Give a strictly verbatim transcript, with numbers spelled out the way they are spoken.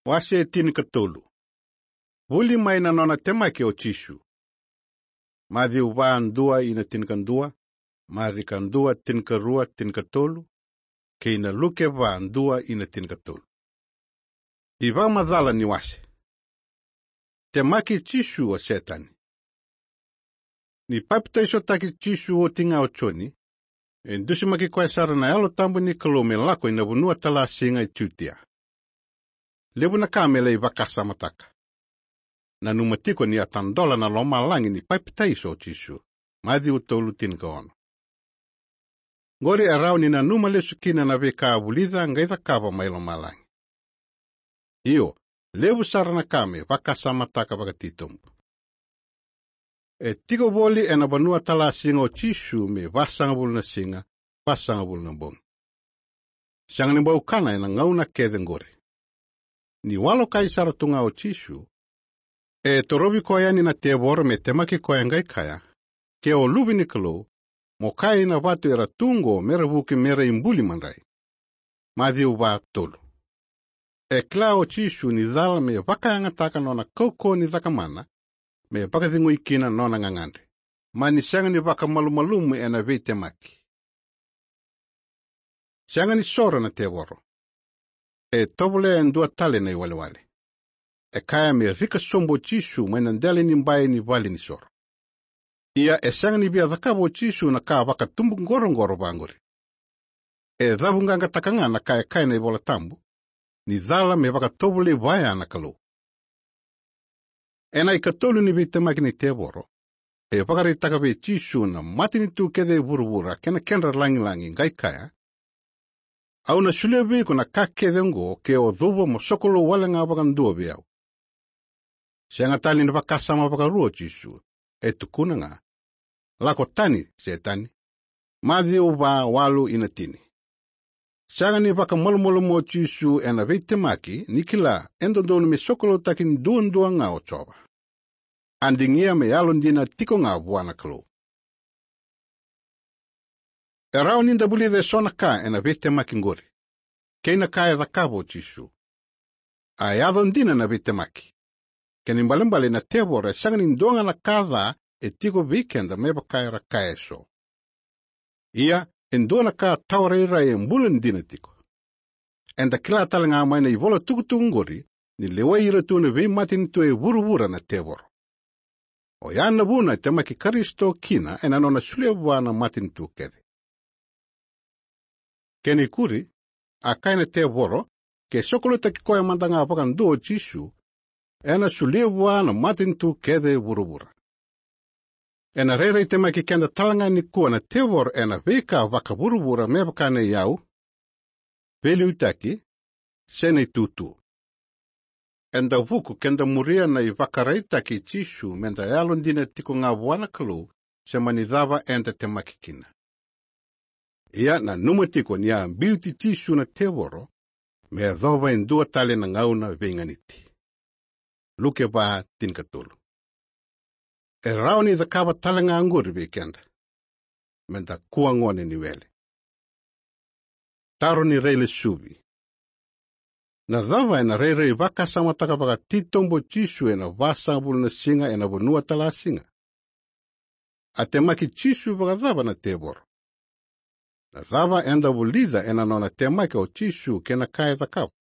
Wase tinikatolu. Vuli mai na nona temaki o Jisu. Maciu va, dua ina tinikadua, Marika dua, tinikarua, tinikatolu, kei na Luke va, dua ina tinikatolu. Ivakamacala ni wase. Temaki Jisu o Setani. Ni papitaisotaki Jisu oti ga o Joni, e dusimaki koya sara na Yalo Tabu ni Kalou me lako ina vanua talasiga e Jutia. Levu na ka me lai vakasamataka. Nanuma tiko ni a tadola na lomalagi ni papitaiso o Jisu. Maciu tolu, tinikaono. Qori e rawa ni nanuma lesu kina na veika a vulica qai cakava mai lomalagi. Io, levu sara na ka me vakasamataka vakatitobu. E tiko voli ena vanua talasiga o Jisu me vasagavulu na siga, vasagavulu na bogi. Sega ni bau kana ena gauna kece qori. Ni walokai sara tu ga o Jisu, e torovi koya yani na tevoro me temaki koya qai kaya, "Ke o Luve ni Kalou, mo kaya ina vatu era tu qo mera vuki mera ibuli madrai." Maciu va, tolu. E kila o Jisu ni cala me vakayagataka nona kaukauwa ni cakamana, me vakacegui kina nona gagadre. Mani sega ni vakamalumalumu ena veitemaki. Sega ni soro na tevoro. E tovolea e dua tale na iwalewale. E kaya me rika sobu o Jisu mai na dela ni bai ni vale ni soro. Ia e sega ni via cakava o Jisu na ka vakatubuqoroqoro vaqori. E cavuqaqataka ga na ka e kaya na iVola Tabu, ni cala me vakatovolei vaya na Kalou. Ena ikatolu ni veitemaki ni tevoro, e vakaraitaka vei Jisu na matanitu kece e vuravura kei na kedra lagilagi qai kaya, "Au na solia vei iko na ka kece oqo ke o cuva mo sokalou wale ga vakadua vei au." Sega tale ni vakasama vakarua o Jisu, e tukuna ga, "Lako tani, Setani." Maciu va, walu ina tini. Sega ni vakamalumalumu o Jisu ena veitemaki ni kila e dodonu me sokaloutaki duadua ga o Jiova. A digia me yalodina tiko ga vua na Kalou. E rawa ni da vulica eso na ka ena veitemaki qori, kei na ka e cakava o Jisu. A yaco dina na veitemaki. Kena ibalebale na tevoro e sega ni dua ga na ka ca e tiko vei keda me vaka era kaya eso. Ia, e dua na ka tawa rairai e bula dina tiko. Eda kila tale ga mai na ivola tukutuku qori, ni lewai ira tu na veimatanitu e vuravura na tevoro. Oya na vuna e temaki Karisito kina ena nona solia vua na matanitu kece. Kena ikuri, a kaya na tevoro, ke sokaloutaki koya mada ga vakadua o Jisu, ena solia vua na matanitu kece e vuravura. Ena rairai temaki keda tale ga nikua na tevoro ena veika vakavuravura me vaka na iyau, veiliutaki, se na itutu. Eda vuku keda muria na ivakaraitaki i Jisu meda yalodina tiko ga vua na Kalou, se mani cava eda temaki kina. Ia nanuma tiko ni a biuti Jisu na tevoro me yacova e dua tale na gauna veiganiti. Luke va, tinikatolu. E rawa ni cakava tale ga oqori vei keda. Meda kua gone ni wele. Taro ni railesuvi. Na cava ena rairai vakasamataka vakatitobu o Jisu ena vasagavulu na siga ena vanua talasiga? A temaki Jisu vakacava na tevoro? Na cava eda vulica ena nona temaki o Jisu kei na ka e cakava?